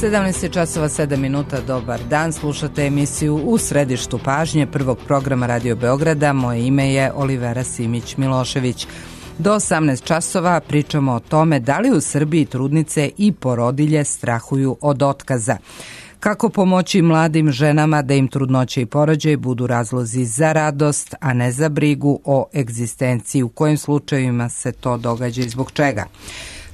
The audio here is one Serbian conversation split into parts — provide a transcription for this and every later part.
17 časova 7 minuta, dobar dan, slušate emisiju U središtu pažnje prvog programa Radio Beograda. Moje ime je Olivera Simić-Milošević. Do 18 časova pričamo o tome da li u Srbiji trudnice i porodilje strahuju od otkaza. Kako pomoći mladim ženama da im trudnoće i porođaj budu razlozi za radost, a ne za brigu o egzistenciji, u kojim slučajevima se to događa i zbog čega.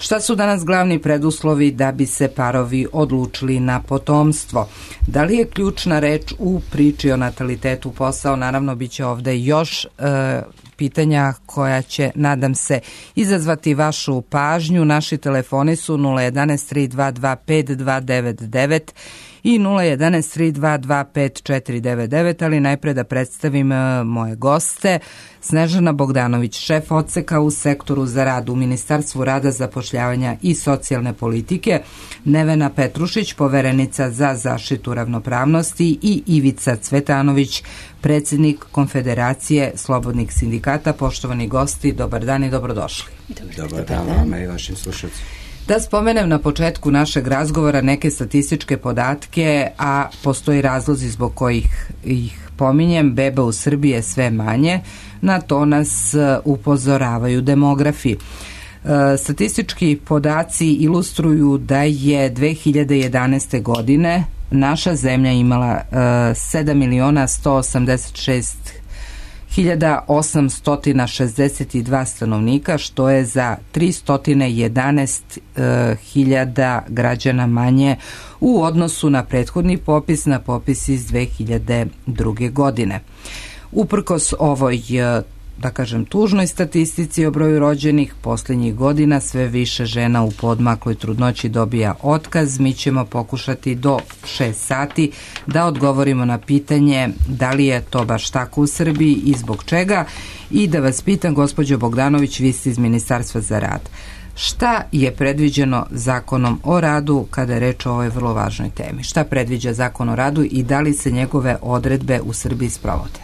Šta su danas glavni preduslovi da bi se parovi odlučili na potomstvo? Da li je ključna reč u priči o natalitetu posao? Naravno, bit će ovde još pitanja koja će, nadam se, izazvati vašu pažnju. Naši telefoni su 011 322 5299 i 011 322 5499, ali najpre da predstavim moje goste. Snežana Bogdanović, šef odseka u sektoru za rad u Ministarstvu rada, zapošljavanja i socijalne politike, Nevena Petrušić, poverenica za zaštitu ravnopravnosti i Ivica Cvetanović, predsjednik Konfederacije slobodnih sindikata. Poštovani gosti, dobar dan i dobrodošli. Dobar dan vama i vašim slušalcima. Da spomenem na početku našeg razgovora neke statističke podatke, a postoji razlozi zbog kojih ih pominjem. Beba u Srbiji je sve manje, na to nas upozoravaju demografi. Statistički podaci ilustruju da je 2011. godine naša zemlja imala 7.186.862 stanovnika, što je za 311.000 građana manje u odnosu na prethodni popis, na popis iz 2002. godine. Uprkos ovoj, da kažem, tužnoj statistici o broju rođenih, posljednjih godina sve više žena u poodmakloj trudnoći dobija otkaz. Mi ćemo pokušati do 6 sati da odgovorimo na pitanje da li je to baš tako u Srbiji i zbog čega. I da vas pitam, gospođo Bogdanović, vi ste iz Ministarstva za rad. Šta je predviđeno Zakonom o radu kada je reč o ovoj vrlo važnoj temi? Šta predviđa Zakon o radu i da li se njegove odredbe u Srbiji sprovode?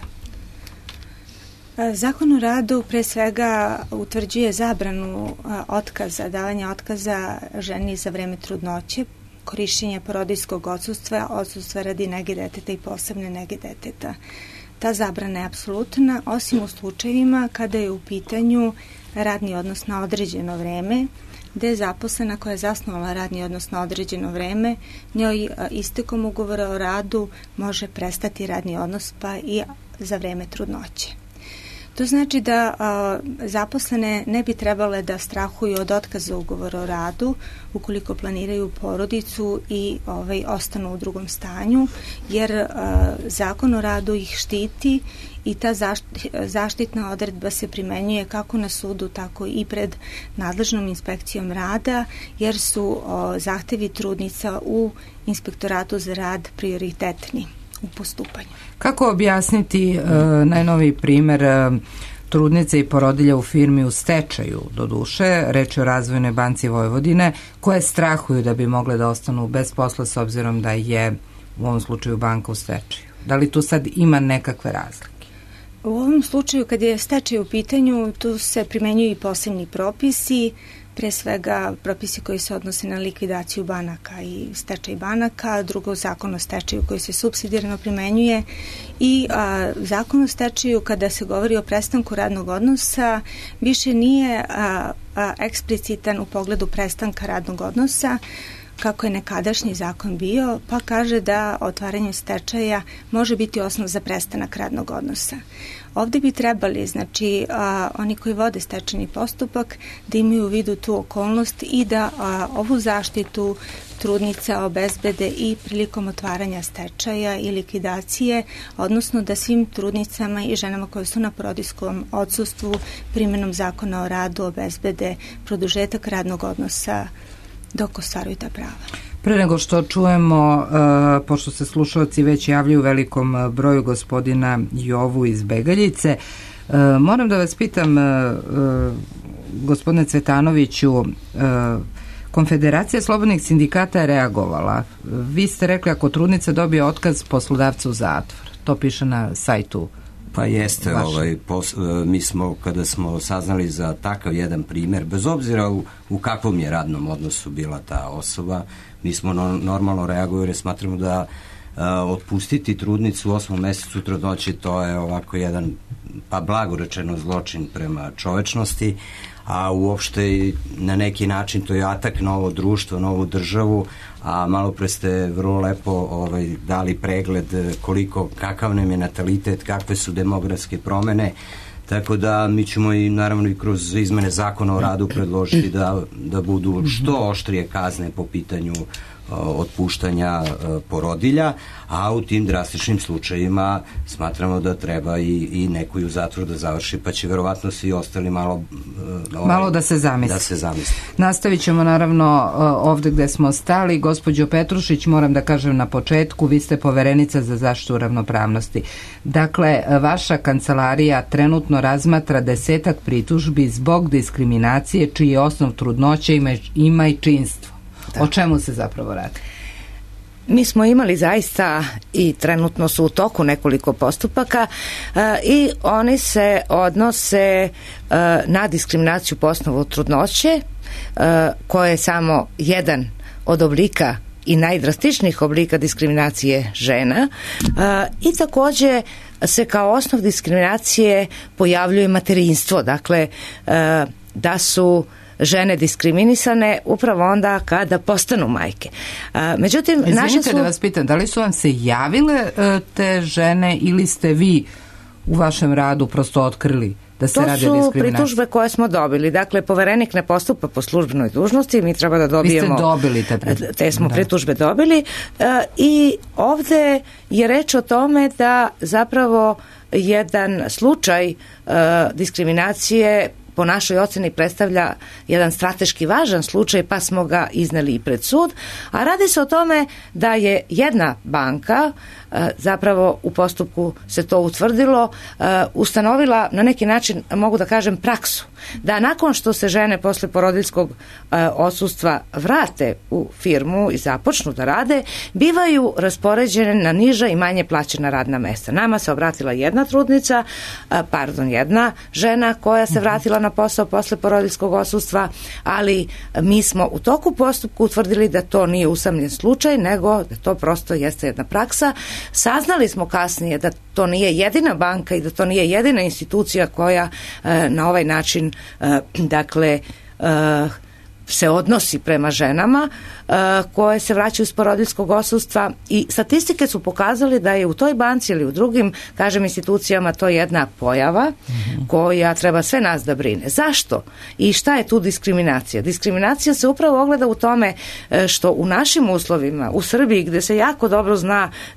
Zakon o radu pre svega utvrđuje zabranu otkaza, davanja otkaza ženi za vreme trudnoće, korišćenja porodiljskog odsustva, odsustva radi nege deteta i posebne nege deteta. Ta zabrana je apsolutna, osim u slučajevima kada je u pitanju radni odnos na određeno vreme, gde je zaposlena koja je zasnovala radni odnos na određeno vreme, njoj istekom ugovora o radu može prestati radni odnos pa i za vreme trudnoće. To znači da zaposlene ne bi trebale da strahuju od otkaza ugovora o radu ukoliko planiraju porodicu i ostanu u drugom stanju, jer Zakon o radu ih štiti i ta zaštitna odredba se primenjuje kako na sudu, tako i pred nadležnom inspekcijom rada, jer su zahtevi trudnica u Inspektoratu za rad prioritetni u postupanju. Kako objasniti najnoviji primer trudnice i porodilja u firmi u stečaju, do duše, reč je o Razvojnoj banci Vojvodine, koje strahuju da bi mogle da ostanu bez posla s obzirom da je u ovom slučaju banka u stečaju? Da li tu sad ima nekakve razlike? U ovom slučaju, kad je stečaj u pitanju, tu se primenjuju i posebni propisi, pre svega propisi koji se odnose na likvidaciju banaka i stečaj banaka, drugo Zakon o stečaju koji se supsidijarno primenjuje i Zakon o stečaju kada se govori o prestanku radnog odnosa više nije eksplicitan u pogledu prestanka radnog odnosa kako je nekadašnji zakon bio, pa kaže da otvaranjem stečaja može biti osnov za prestanak radnog odnosa. Ovde bi trebali, znači, oni koji vode stečajni postupak da imaju u vidu tu okolnost i da ovu zaštitu trudnica obezbede i prilikom otvaranja stečaja i likvidacije, odnosno da svim trudnicama i ženama koje su na porodiljskom odsustvu primenom Zakona o radu obezbede produžetak radnog odnosa dok ostvaruju ta prava. Pre nego što čujemo, pošto se slušalci već javljaju u velikom broju, gospodina Jovu iz Begaljice, moram da vas pitam, gospodine Cvetanoviću, Konfederacija slobodnih sindikata je reagovala. Vi ste rekli ako trudnica dobije otkaz, poslodavca u zatvor. To piše na sajtu Pa jeste, mi smo, kada smo saznali za takav jedan primjer, bez obzira u kakvom je radnom odnosu bila ta osoba, mi smo normalno reagovali, smatramo da otpustiti trudnicu u 8. mesecu trudnoće, to je ovako jedan, pa blago rečeno, zločin prema čovečnosti, a uopšte na neki način to je atak na ovo društvo, na ovu državu, a malo pre ste vrlo lepo dali pregled kakav nam je natalitet, kakve su demografske promene, tako da mi ćemo i naravno i kroz izmene zakona o radu predložiti da budu što oštrije kazne po pitanju otpuštanja porodilja, a u tim drastičnim slučajima smatramo da treba i neko i u zatvoru da završi, pa će verovatno svi ostali malo da se zamisli. Nastavit ćemo naravno ovde gde smo stali. Gospođo Petrušić, moram da kažem na početku, vi ste poverenica za zaštitu ravnopravnosti. Dakle, vaša kancelarija trenutno razmatra 10 pritužbi zbog diskriminacije čiji je osnov trudnoće i majčinstvo. O čemu se zapravo radi? Mi smo imali zaista i trenutno su u toku nekoliko postupaka i oni se odnose na diskriminaciju po osnovu trudnoće, koja je samo jedan od oblika i najdrastičnijih oblika diskriminacije žena, i takođe se kao osnov diskriminacije pojavljuje materinstvo, dakle da su žene diskriminisane upravo onda kada postanu majke. Međutim, izvinite da vas pitam, da li su vam se javile te žene ili ste vi u vašem radu prosto otkrili da se radi o diskriminaciji? To su pritužbe koje smo dobili. Dakle, poverenik ne postupa po službenoj dužnosti, mi treba da dobijemo... Vi ste dobili te smo pritužbe dobili i ovde je reč o tome da zapravo jedan slučaj diskriminacije po našoj oceni predstavlja jedan strateški važan slučaj, pa smo ga izneli i pred sud, a radi se o tome da je jedna banka, zapravo u postupku se to utvrdilo, ustanovila na neki način, mogu da kažem, praksu, da nakon što se žene posle porodiljskog odsustva vrate u firmu i započnu da rade, bivaju raspoređene na niža i manje plaćena radna mesta. Nama se obratila jedna žena koja se vratila na posao posle porodiljskog odsustva, ali mi smo u toku postupku utvrdili da to nije usamljen slučaj, nego da to prosto jeste jedna praksa. Saznali smo kasnije da to nije jedina banka i da to nije jedina institucija koja na ovaj način se odnosi prema ženama koje se vraćaju iz porodiljskog odsustva, i statistike su pokazali da je u toj banci ili u drugim, kažem, institucijama to jedna pojava koja treba sve nas da brine. Zašto? I šta je tu diskriminacija? Diskriminacija se upravo ogleda u tome što u našim uslovima, u Srbiji, gde se jako dobro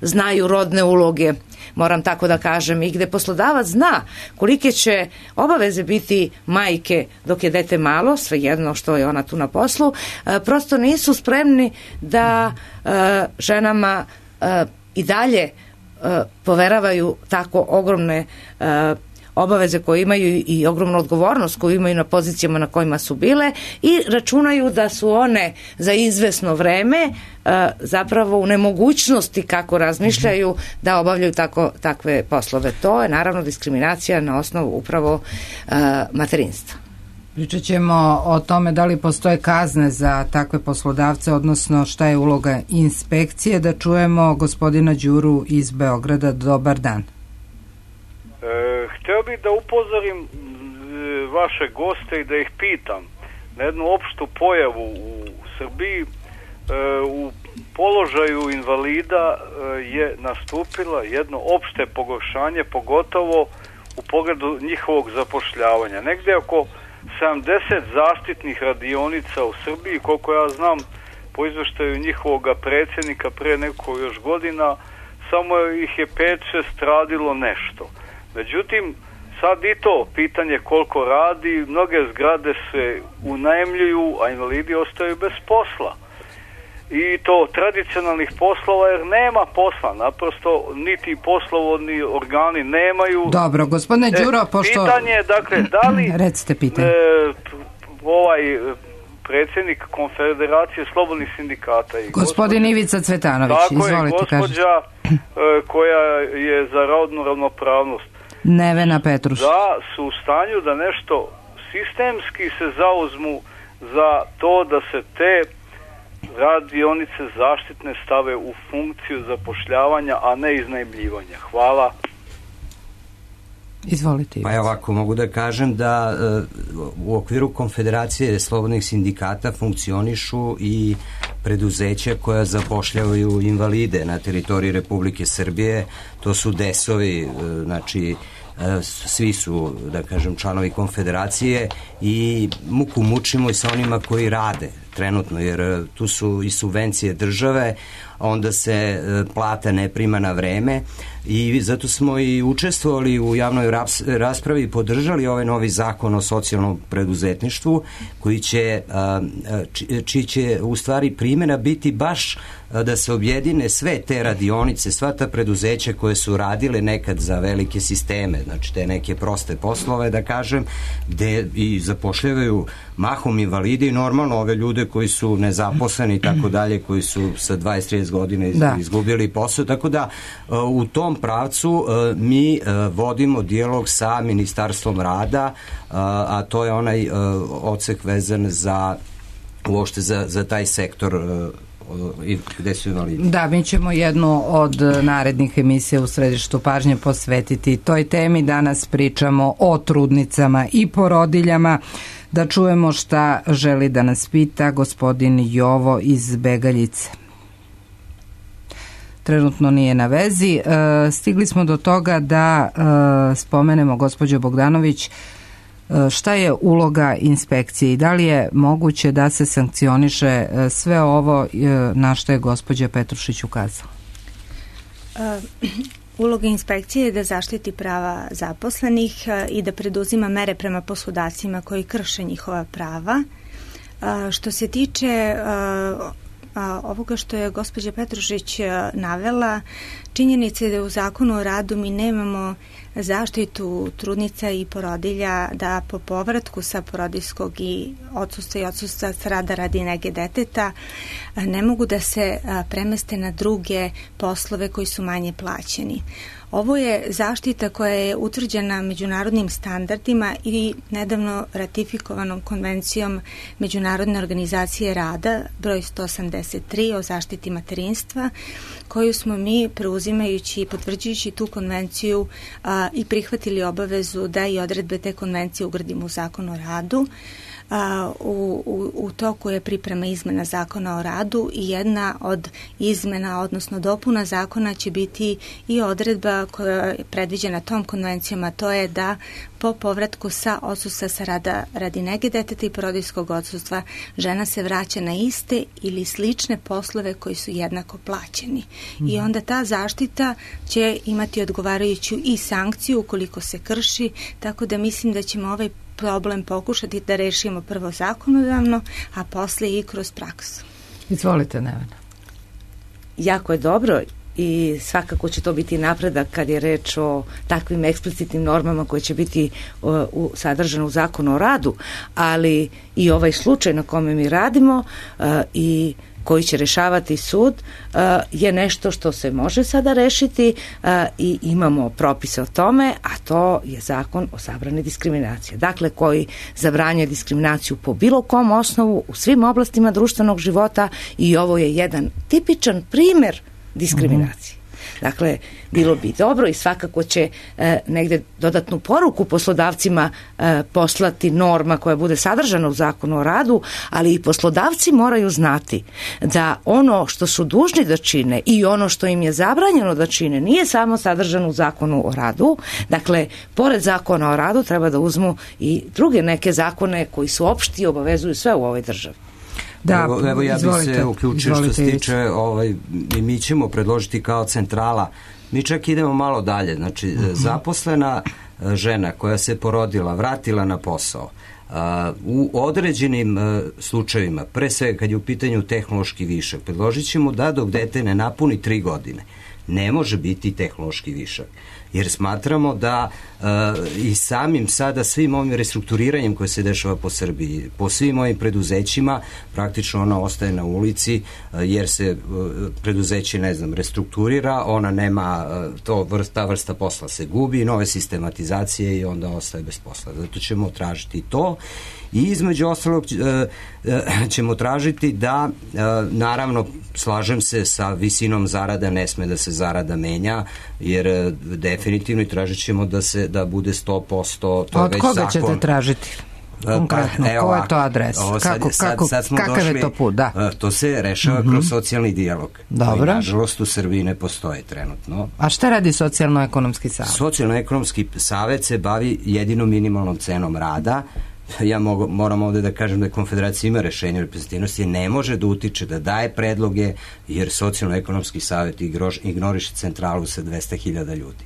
znaju rodne uloge, moram tako da kažem, i gde poslodavac zna kolike će obaveze biti majke dok je dete malo, svejedno što je ona tu na poslu, prosto nisu spremni da ženama i dalje poveravaju tako ogromne obaveze koje imaju i ogromnu odgovornost koju imaju na pozicijama na kojima su bile, i računaju da su one za izvesno vreme zapravo u nemogućnosti, kako razmišljaju, da obavljaju takve poslove. To je naravno diskriminacija na osnovu upravo materinstva. Pričat ćemo o tome da li postoje kazne za takve poslodavce, odnosno šta je uloga inspekcije. Da čujemo gospodina Đuru iz Beograda. Dobar dan. Hteo bih da upozorim vaše goste i da ih pitam na jednu opštu pojavu u Srbiji. U položaju invalida je nastupila jedno opšte pogoršanje, pogotovo u pogledu njihovog zapošljavanja. Negde oko 70 zaštitnih radionica u Srbiji, koliko ja znam po izveštaju njihovog predsjednika pre nekoliko još godina, samo ih je 5-6 radilo nešto. Međutim, sad i to pitanje koliko radi, mnoge zgrade se unajmljuju, a invalidi ostaju bez posla. I to tradicionalnih poslova, jer nema posla, naprosto niti poslovodni organi nemaju. Dobro, gospodine Đuro, pošto... Pitanje je, dakle, da li recite pitanje. Predsjednik Konfederacije slobodnih sindikata i gospodin Ivica Cvetanović, izvolite, gospođa koja je za rodnu ravnopravnost, Nevena Petrušić. Da su u stanju da nešto sistemski se zauzmu za to da se te radionice zaštitne stave u funkciju zapošljavanja, a ne iznajmljivanja. Hvala. Izvolite. Pa ovako, mogu da kažem da u okviru Konfederacije slobodnih sindikata funkcionišu i preduzeća koja zapošljavaju invalide na teritoriji Republike Srbije. To su DES-ovi, znači svi su, da kažem, članovi Konfederacije i muku mučimo i sa onima koji rade trenutno, jer tu su i subvencije države, onda se plata ne prima na vreme i zato smo i učestvovali u javnoj raspravi i podržali ovaj novi zakon o socijalnom preduzetništvu čiji će u stvari primjena biti baš da se objedine sve te radionice, sva ta preduzeća koje su radile nekad za velike sisteme, znači te neke proste poslove, da kažem, gde i zapošljavaju mahom invalide i normalno ove ljude koji su nezaposleni i tako dalje, koji su sa 20-30 godina izgubili posao, tako da u tom pravcu mi vodimo dijalog sa Ministarstvom rada, a to je onaj odsek vezan za uopšte za taj sektor gde su invalidi. Da, mi ćemo jednu od narednih emisija u središtu pažnje posvetiti toj temi. Danas pričamo o trudnicama i porodiljama. Da čujemo šta želi da nas pita gospodin Jovo iz Begaljice. Trenutno nije na vezi. Stigli smo do toga da spomenemo, gospođo Bogdanović, šta je uloga inspekcije i da li je moguće da se sankcioniše sve ovo na što je gospođa Petrušić ukazala? Uloga inspekcije je da zaštiti prava zaposlenih i da preduzima mere prema poslodavcima koji krše njihova prava. Što se tiče ovoga što je gospođa Petrušić navela, činjenica je da u Zakonu o radu mi nemamo zaštitu trudnica i porodilja da po povratku sa porodiljskog i odsustva s rada radi nege deteta ne mogu da se premeste na druge poslove koji su manje plaćeni. Ovo je zaštita koja je utvrđena međunarodnim standardima i nedavno ratifikovanom konvencijom Međunarodne organizacije rada broj 183 o zaštiti materinstva, koju smo mi preuzimajući i potvrđujući tu konvenciju i prihvatili obavezu da i odredbe te konvencije ugradimo u Zakon o radu. U toku je priprema izmena Zakona o radu i jedna od izmena, odnosno dopuna zakona će biti i odredba koja je predviđena tom konvencijom, a to je da po povratku sa odsustva sa rada radi nege deteta i porodiljskog odsustva žena se vraća na iste ili slične poslove koji su jednako plaćeni. I onda ta zaštita će imati odgovarajuću i sankciju ukoliko se krši, tako da mislim da ćemo ovaj problem pokušati da rešimo prvo zakonodavno, a posle i kroz praksu. Izvolite, Nevena. Jako je dobro i svakako će to biti napredak kad je reč o takvim eksplicitnim normama koje će biti sadržane u Zakonu o radu, ali i ovaj slučaj na kome mi radimo i koji će rešavati sud je nešto što se može sada rešiti i imamo propise o tome, a to je Zakon o zabrani diskriminacije. Dakle, koji zabranjuje diskriminaciju po bilo kom osnovu u svim oblastima društvenog života i ovo je jedan tipičan primer diskriminacije. Dakle, bilo bi dobro i svakako će negde dodatnu poruku poslodavcima poslati norma koja bude sadržana u Zakonu o radu, ali i poslodavci moraju znati da ono što su dužni da čine i ono što im je zabranjeno da čine nije samo sadržano u Zakonu o radu. Dakle, pored Zakona o radu treba da uzmu i druge neke zakone koji su opšti i obavezuju sve u ovoj državi. Da, evo ja bih se uključio što se tiče i mi ćemo predložiti kao centrala, mi čak idemo malo dalje, znači zaposlena žena koja se porodila, vratila na posao, u određenim slučajevima, pre svega kad je u pitanju tehnološki višak, predložit ćemo da dok dete ne napuni 3 godine ne može biti tehnološki višak. jer smatramo da i samim sada svim ovim restrukturiranjem koje se dešava po Srbiji, po svim ovim preduzećima, praktično ona ostaje na ulici jer se preduzeće, ne znam, restrukturira, ona nema, ta vrsta posla se gubi, nove sistematizacije i onda ostaje bez posla. Zato ćemo tražiti to i između ostalog ćemo tražiti da, naravno, slažem se sa visinom zarada, ne sme da se zarada menja, jer definitivno tražit ćemo da bude 100%. To od koga ćete tražiti? Konkretno, ko je to adres? Kakav je to put? Da. To se rešava kroz socijalni dijalog. Dobro. Koji, nažalost, u Srbiji ne postoji trenutno. A šta radi Socijalno-ekonomski savet? Socijalno-ekonomski savet se bavi jedino minimalnom cenom rada. Ja moram ovde da kažem da Konfederacija ima rešenje reprezentativnosti, ne može da utiče, da daje predloge, jer Socijalno-ekonomski savet ignoriše centralu sa 200.000 ljudi.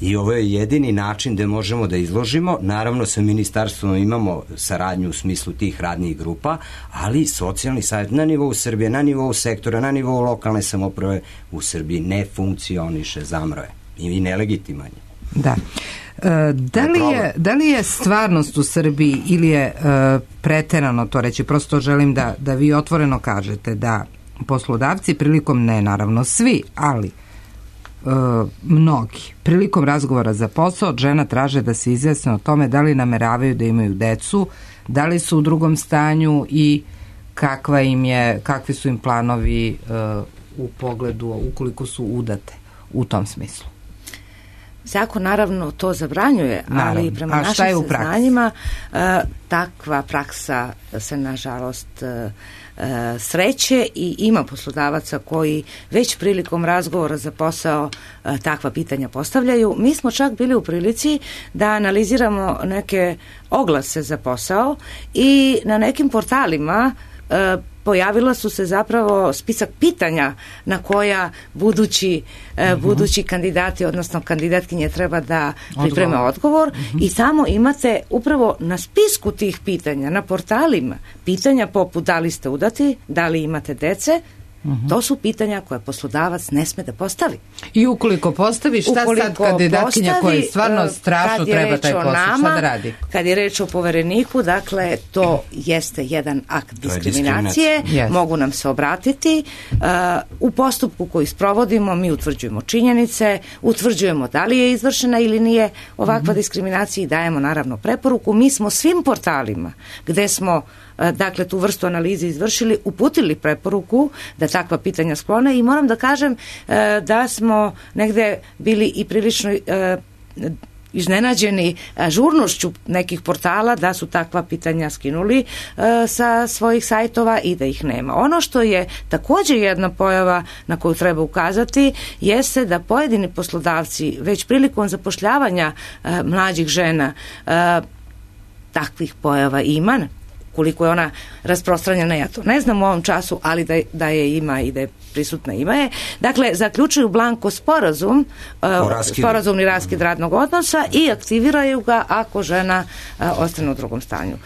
I ovo je jedini način gde možemo da izložimo. Naravno, sa ministarstvom imamo saradnju u smislu tih radnih grupa, ali socijalni savjet na nivou Srbije, na nivou sektora, na nivou lokalne samouprave u Srbiji ne funkcioniše, zamro je i nelegitiman je. Da. Da li je stvarnost u Srbiji ili je preterano to reći, prosto želim da vi otvoreno kažete da poslodavci prilikom, ne naravno svi, ali mnogi, prilikom razgovora za posao od žena traže da se izjasne o tome da li nameravaju da imaju decu, da li su u drugom stanju i kakvi su im planovi u pogledu ukoliko su udate u tom smislu. Zakon naravno to zabranjuje, ali prema našim saznanjima takva praksa se nažalost sreće i ima poslodavaca koji već prilikom razgovora za posao takva pitanja postavljaju. Mi smo čak bili u prilici da analiziramo neke oglase za posao i na nekim portalima pojavila su se zapravo spisak pitanja na koja budući kandidati, odnosno kandidatkinje treba da pripreme odgovor i samo imate upravo na spisku tih pitanja, na portalima, pitanja poput da li ste udati, da li imate dece. To su pitanja koje poslodavac ne sme da postavi. I ukoliko postavi, šta sad kandidatkinja koja stvarno strašno treba taj posao, šta da radi? Kad je reč o povereniku, dakle, to jeste jedan akt diskriminacije, mogu nam se obratiti. U postupku koji sprovodimo, mi utvrđujemo činjenice, utvrđujemo da li je izvršena ili nije ovakva diskriminacija i dajemo naravno preporuku. Mi smo svim portalima gde smo dakle tu vrstu analize izvršili, uputili preporuku da takva pitanja sklone i moram da kažem da smo negde bili i prilično iznenađeni žurnošću nekih portala da su takva pitanja skinuli sa svojih sajtova i da ih nema. Ono što je također jedna pojava na koju treba ukazati jeste da pojedini poslodavci već prilikom zapošljavanja mlađih žena takvih pojava ima. Koliko je ona rasprostranjena, ja to ne znam u ovom času, ali da je ima i da je prisutna ima je. Dakle, zaključuju blanko sporazumni raskid radnog odnosa i aktiviraju ga ako žena ostane u drugom stanju.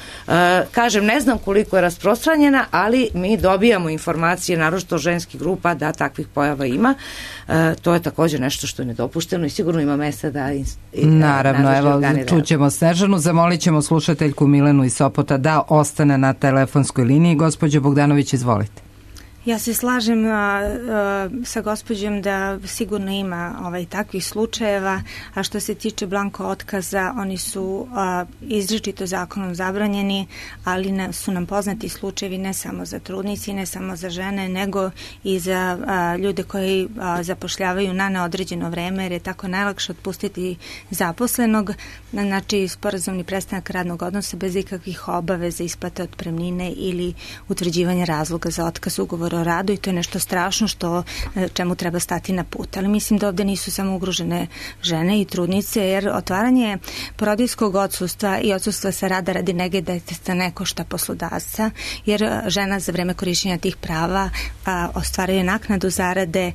Kažem, ne znam koliko je rasprostranjena, ali mi dobijamo informacije, naročito ženskih grupa, da takvih pojava ima. To je također nešto što je nedopušteno i sigurno ima mesta da naravno, evo, čućemo Snežanu, zamolit ćemo slušateljku Milenu iz Sopota da ostane na telefonskoj liniji. Gospođo Bogdanović, izvolite. Ja se slažem sa gospođom da sigurno ima takvih slučajeva, a što se tiče blanko otkaza, oni su izričito zakonom zabranjeni, ali su nam poznati slučajevi ne samo za trudnici i ne samo za žene, nego i za ljude koji zapošljavaju na neodređeno vreme, jer je tako najlakše otpustiti zaposlenog, znači sporazumni prestanak radnog odnosa bez ikakvih obaveza, isplate otpremnine ili utvrđivanja razloga za otkaz ugovora o radu i to je nešto strašno čemu treba stati na put. Ali mislim da ovde nisu samo ugrožene žene i trudnice, jer otvaranje porodiljskog odsustva i odsustva sa rada radi nege deteta ne košta poslodavca, jer žena za vreme korišćenja tih prava ostvaruje naknadu zarade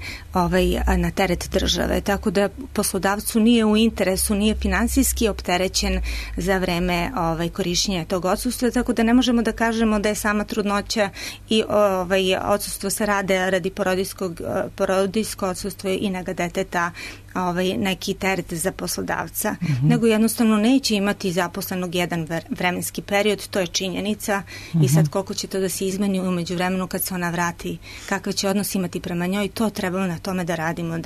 na teret države. Tako da poslodavcu nije u interesu, nije finansijski opterećen za vreme korišćenja tog odsustva, tako da ne možemo da kažemo da je sama trudnoća i odsustvo odsustvo se rade radi porodiljsko odsustvo i nega deteta neki teret za poslodavca, nego jednostavno neće imati zaposlenog jedan vremenski period, to je činjenica i sad koliko će to da se izmeni umeđu vremenu kad se ona vrati, kakve će odnos imati prema njoj, to trebamo na tome da radimo,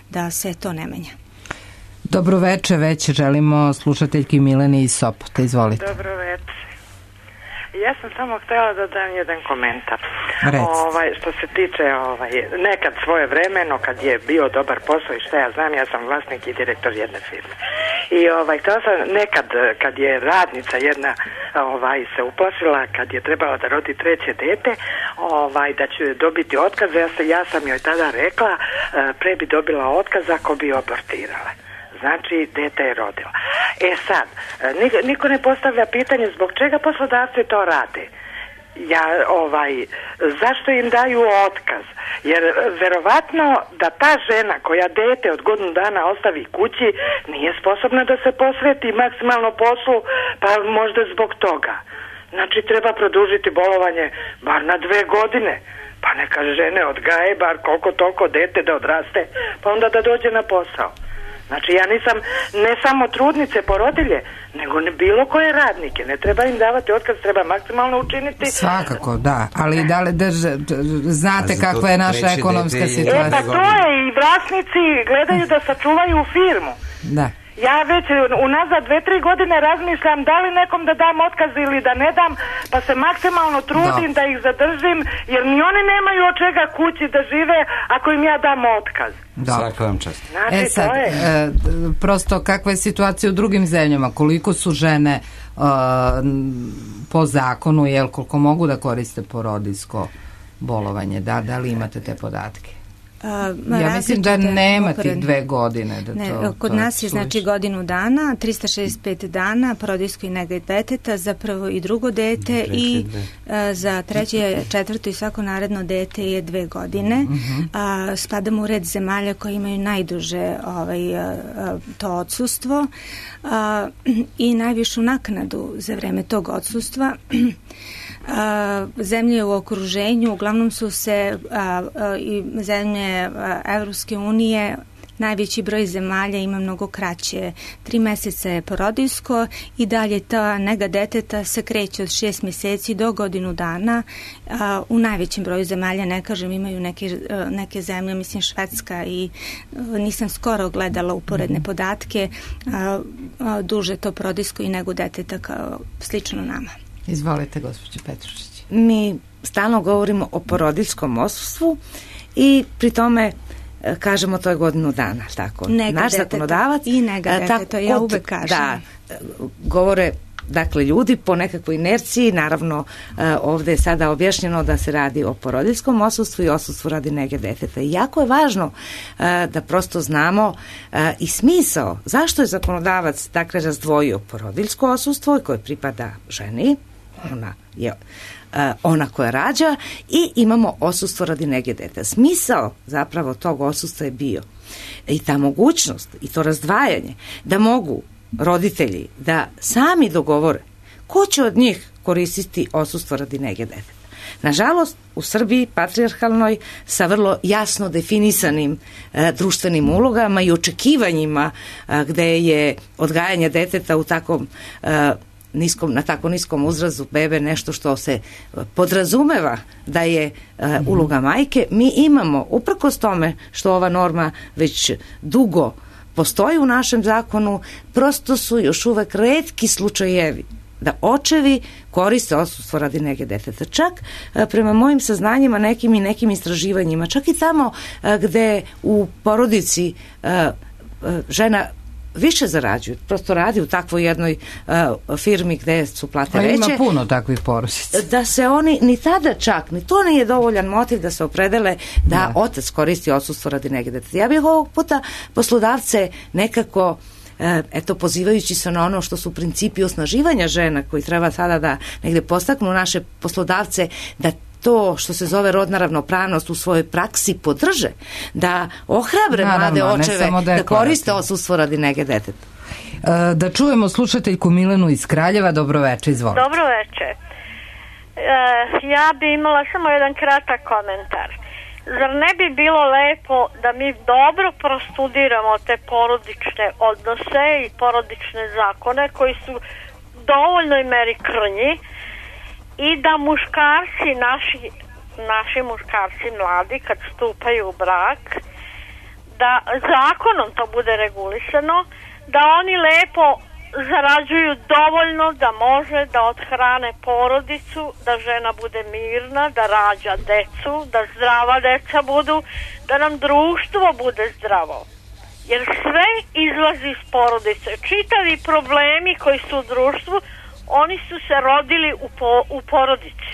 da se to ne menja. Dobro veče, već želimo slušateljki Mileni iz Sopota, izvolite. Dobro veče. Ja sam samo htjela da dam jedan komentar. Što se tiče nekad svoje vremeno kad je bio dobar posao i šta ja znam, ja sam vlasnik i direktor jedne firme. I htjela sam nekad kad je radnica jedna se uplašila kad je trebala da rodi treće dete, da će dobiti otkaz, ja sam joj tada rekla pre bi dobila otkaz ako bi abortirala. Znači, dete je rodila. Sad, niko ne postavlja pitanje zbog čega poslodavci to rade. Zašto im daju otkaz? Jer verovatno da ta žena koja dete od godinu dana ostavi kući nije sposobna da se posveti maksimalno poslu, pa možda zbog toga. Znači, treba produžiti bolovanje bar na 2 godine. Pa neka žene odgaje bar koliko toliko dete da odraste, pa onda da dođe na posao. Znači ja nisam ne samo trudnice, porodilje, nego bilo koje radnike. Ne treba im davati otkaz, treba maksimalno učiniti. Svakako, da. Ali da li znate kakva je naša ekonomska situacija? Pa to je i vlasnici gledaju da sačuvaju firmu. Da. Ja već unazad 2-3 godine razmišljam da li nekom da dam otkaz ili da ne dam, pa se maksimalno trudim da ih zadržim, jer ni oni nemaju od čega kući da žive ako im ja dam otkaz. Svaka vam čast. Znači, sad, prosto kakva je situacija u drugim zemljama, koliko su žene po zakonu, koliko mogu da koriste porodiljsko bolovanje, da li imate te podatke? Ja mislim da nema tih 2 godine. Kod nas je znači godinu dana, 365 dana porodiljsko i nege deteta za prvo i drugo dete i za treće, četvrto i svako naredno dete je 2 godine. Spadamo u red zemalja koji imaju najduže to odsustvo i najvišu naknadu za vreme tog odsustva. Zemlje u okruženju, uglavnom su se i zemlje Evropske unije, najveći broj zemalja ima mnogo kraće. 3 meseca je porodiljsko i dalje ta nega deteta se kreće od 6 mjeseci do godinu dana. U najvećem broju zemalja, ne kažem, imaju neke zemlje, mislim Švedska i nisam skoro gledala uporedne podatke, duže to porodiljsko i negu deteta kao slično nama. Izvolite, gospođo Petrušić. Mi stalno govorimo o porodiljskom odsustvu i pri tome kažemo to je godinu dana, tako. Naš zakonodavac i nega deteta, ja uvek kažem. Da, govore dakle ljudi po nekakvoj inerciji, naravno ovdje je sada objašnjeno da se radi o porodiljskom odsustvu i odsustvu radi nege deteta. I jako je važno da prosto znamo i smisao zašto je zakonodavac dakle razdvojio porodiljsko odsustvo koje pripada ženi, ona je ona koja rađa, i imamo odsustvo radi nege deteta. Smisao zapravo tog odsustva je bio i ta mogućnost i to razdvajanje da mogu roditelji da sami dogovore ko će od njih koristiti odsustvo radi nege deteta. Nažalost, u Srbiji patrijarhalnoj sa vrlo jasno definisanim društvenim ulogama i očekivanjima gde je odgajanje deteta u takvom na tako niskom uzrazu bebe nešto što se podrazumeva da je uloga majke, mi imamo, uprkos tome što ova norma već dugo postoji u našem zakonu, prosto su još uvek retki slučajevi da očevi koriste odsustvo radi nege deteta. Čak prema mojim saznanjima nekim istraživanjima, čak i tamo gde u porodici žena više zarađuju, prosto radi u takvoj jednoj firmi gde su plate veće. Ima puno takvih porodica. Da se oni, ni tada čak, ni to nije dovoljan motiv da se opredele da otac koristi odsustvo radi nege deteta. Ja bih ovog puta poslodavce nekako pozivajući se na ono što su principi osnaživanja žena koji treba sada da negde postaknu naše poslodavce da to što se zove rodna ravnopravnost u svojoj praksi podrže, da ohrabre mlade očeve da koriste odsustvo radi nege deteta. Da čujemo slušateljku Milenu iz Kraljeva. Dobro veče, izvolite. Dobro veče. Ja bi imala samo jedan kratak komentar. Zar ne bi bilo lepo da mi dobro prostudiramo te porodične odnose i porodične zakone koji su u dovoljnoj meri krnji i da muškarci, naši muškarci mladi kad stupaju u brak, da zakonom to bude regulisano, da oni lepo zarađuju dovoljno da može da odhrane porodicu, da žena bude mirna, da rađa decu, da zdrava deca budu, da nam društvo bude zdravo. Jer sve izlazi iz porodice. Čitavi problemi koji su u društvu, oni su se rodili u porodici.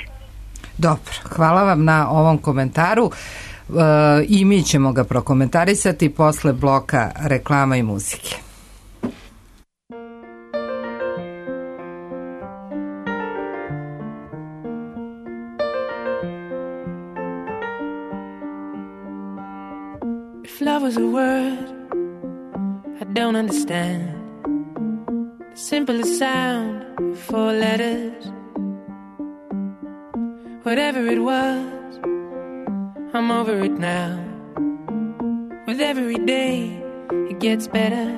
Dobro, hvala vam na ovom komentaru. I mi ćemo ga prokomentarisati posle bloka reklama i muzike. If love was a word I don't understand, the simplest sound, 4 letters. Whatever it was, I'm over it now. With every day, it gets better.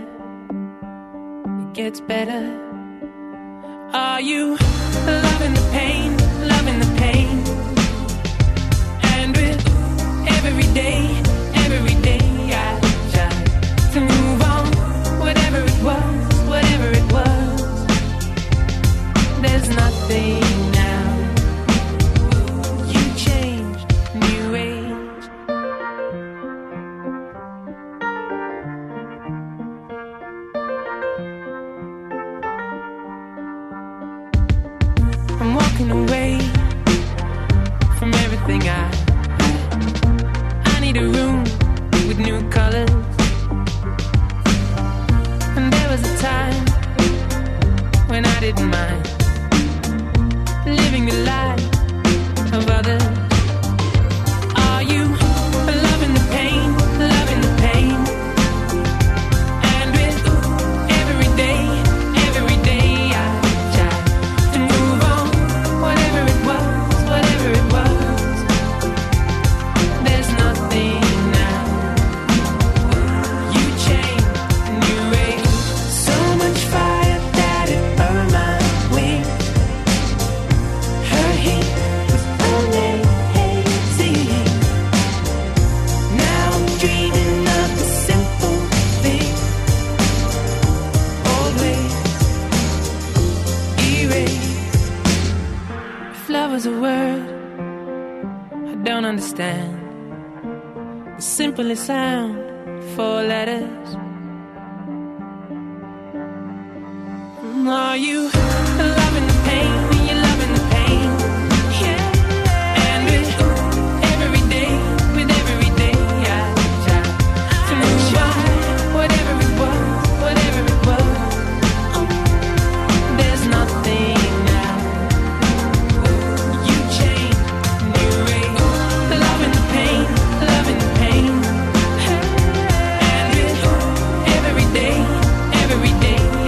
It gets better. Are you loving the pain, loving the pain? And with every day I try to move on. Whatever it was, there's nothing now. You changed, new age. I'm walking away from everything I need a room with new colors. And there was a time when I didn't mind living the life of others. Are you loving the pain, loving the pain? And with every day I try to move on. Whatever it was, there's nothing now. You changed, new age. So much fire that it burned my wings. Her heat was amazing. Now I'm dreaming of the simple thing. Always erase. If love was a word I don't understand, the simplest sound, 4 letters. Are you loving the pain? You're loving the pain, yeah. And with every day I try to move on. Whatever it was, there's nothing now. You changed, new age. Loving the pain, loving the pain. And with every day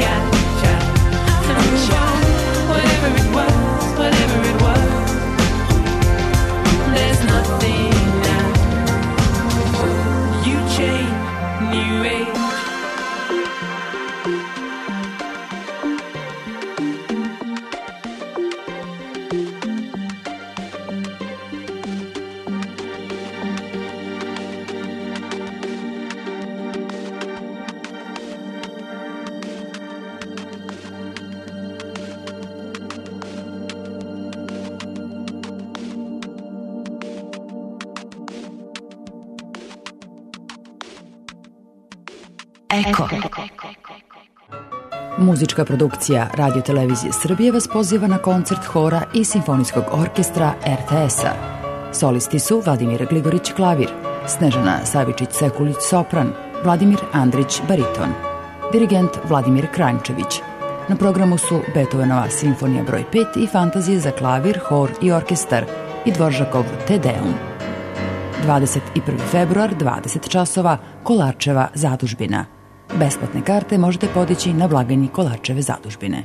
I try to move on. Whatever it was, there's nothing now. You changed, new age. Eko. Muzička produkcija Radio Televizije Srbije vas poziva na koncert hora i simfonijskog orkestra RTS-a. Solisti su Vladimir Gligorić klavir, Snežana Savičić-Sekulić sopran, Vladimir Andrić bariton, dirigent Vladimir Kranjčević. Na programu su Beethovenova simfonija broj 5 i fantazije za klavir, hor i orkestar i Dvoržakov Te Deum. 21. februar, 20 časova, Kolarčeva zadužbina. Besplatne karte možete podići na blagajni Kolarčeve zadužbine.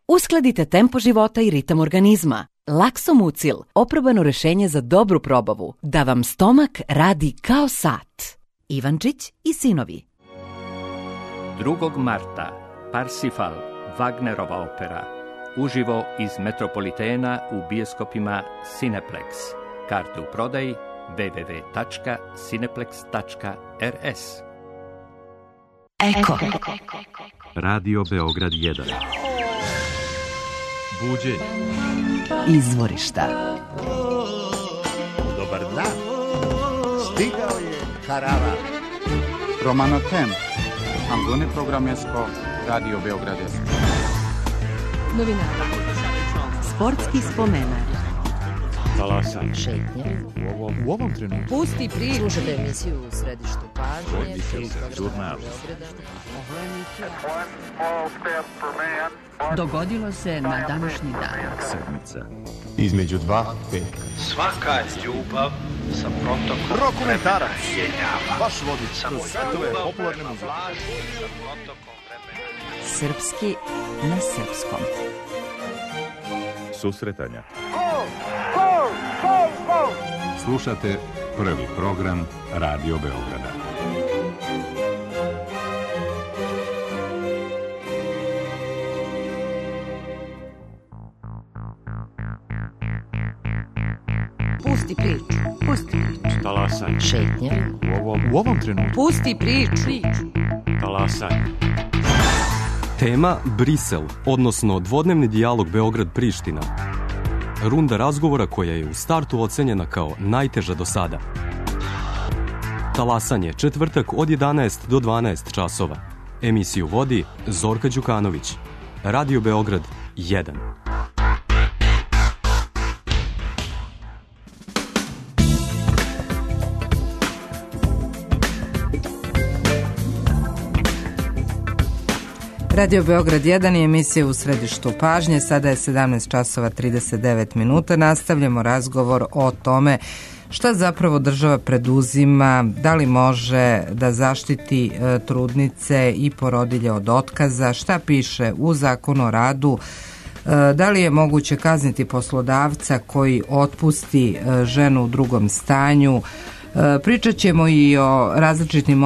Uskladite tempo života i ritam organizma. Laksomucil, oprobano rešenje za dobru probavu, da vam stomak radi kao sat. Ivančić i sinovi. 2. marta Parsifal, Wagnerova opera, uživo iz Metropolitena u bioskopima Cineplex. Karte u prodaji www.cineplex.rs. Eko. Radio Beograd 1. Buđenje. Izvorišta. Dobar dan. Stigao je Karavan. Romano Tem. Angone programesko Radio Beograd 1. Novinari. Sportski spomenar. Talasan. Šetnje. U ovom trenutku. Pusti priču. Slušajte emisiju u središtu pažnje. Žurnal. Dogodilo se na današnji dan. Sedmica. Između 2 i 5. Svaka ljubav sa protokom Rokomentarac. vremena. Vaš vodič kroz svetove popularne muzike. Srpski na srpskom. Susretanja. Slušate prvi program Radio Beograda. Pusti priču. Pusti priču. Talasan. Šetnje. U ovom trenutku. Pusti priču. Talasan. Tema Brisel, odnosno dvodnevni dijalog Beograd-Priština. Runda razgovora koja je u startu ocenjena kao najteža do sada. Talasanje, četvrtak od 11 do 12 časova. Emisiju vodi Zorka Đukanović. Radio Beograd 1. Radio Beograd 1 je emisija u središtu pažnje. Sada je 17 časova 39 minuta. Nastavljamo razgovor o tome šta zapravo država preduzima, da li može da zaštiti trudnice i porodilje od otkaza, šta piše u Zakonu o radu, da li je moguće kazniti poslodavca koji otpusti ženu u drugom stanju. Pričat ćemo i o različitim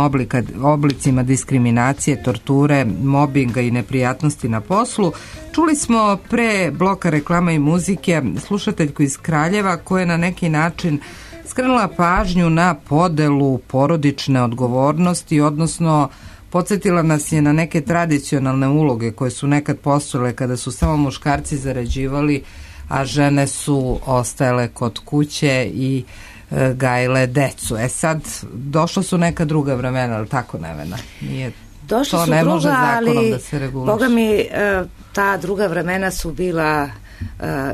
oblicima diskriminacije, torture, mobinga i neprijatnosti na poslu. Čuli smo pre bloka reklama i muzike slušateljku iz Kraljeva koja je na neki način skrenula pažnju na podelu porodične odgovornosti, odnosno podsjetila nas je na neke tradicionalne uloge koje su nekad postojale kada su samo muškarci zarađivali, a žene su ostajale kod kuće i gajile decu. Sad, došla su neka druga vremena, ali tako, Nevena? Nije, došla to su ne druga, može zakonom ali, da se reguliše. Boga mi, ta druga vremena su bila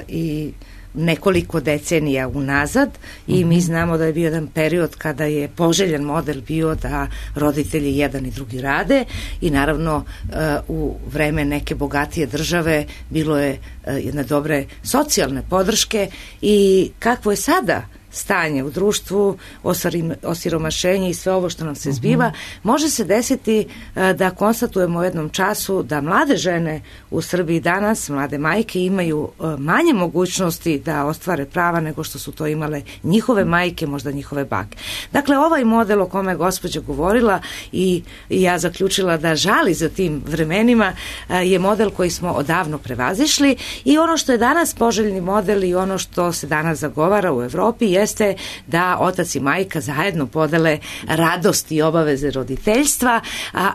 i nekoliko decenija unazad i mi znamo da je bio jedan period kada je poželjen model bio da roditelji jedan i drugi rade i naravno u vreme neke bogatije države bilo je jedne dobre socijalne podrške i kakvo je sada stanje u društvu, osiromašenje i sve ovo što nam se zbiva, može se desiti da konstatujemo u jednom času da mlade žene u Srbiji danas, mlade majke, imaju manje mogućnosti da ostvare prava nego što su to imale njihove majke, možda njihove bake. Dakle, ovaj model o kome je gospođa govorila i ja zaključila da žali za tim vremenima je model koji smo odavno prevazišli i ono što je danas poželjni model i ono što se danas zagovara u Evropi jeste da otac i majka zajedno podele radost i obaveze roditeljstva,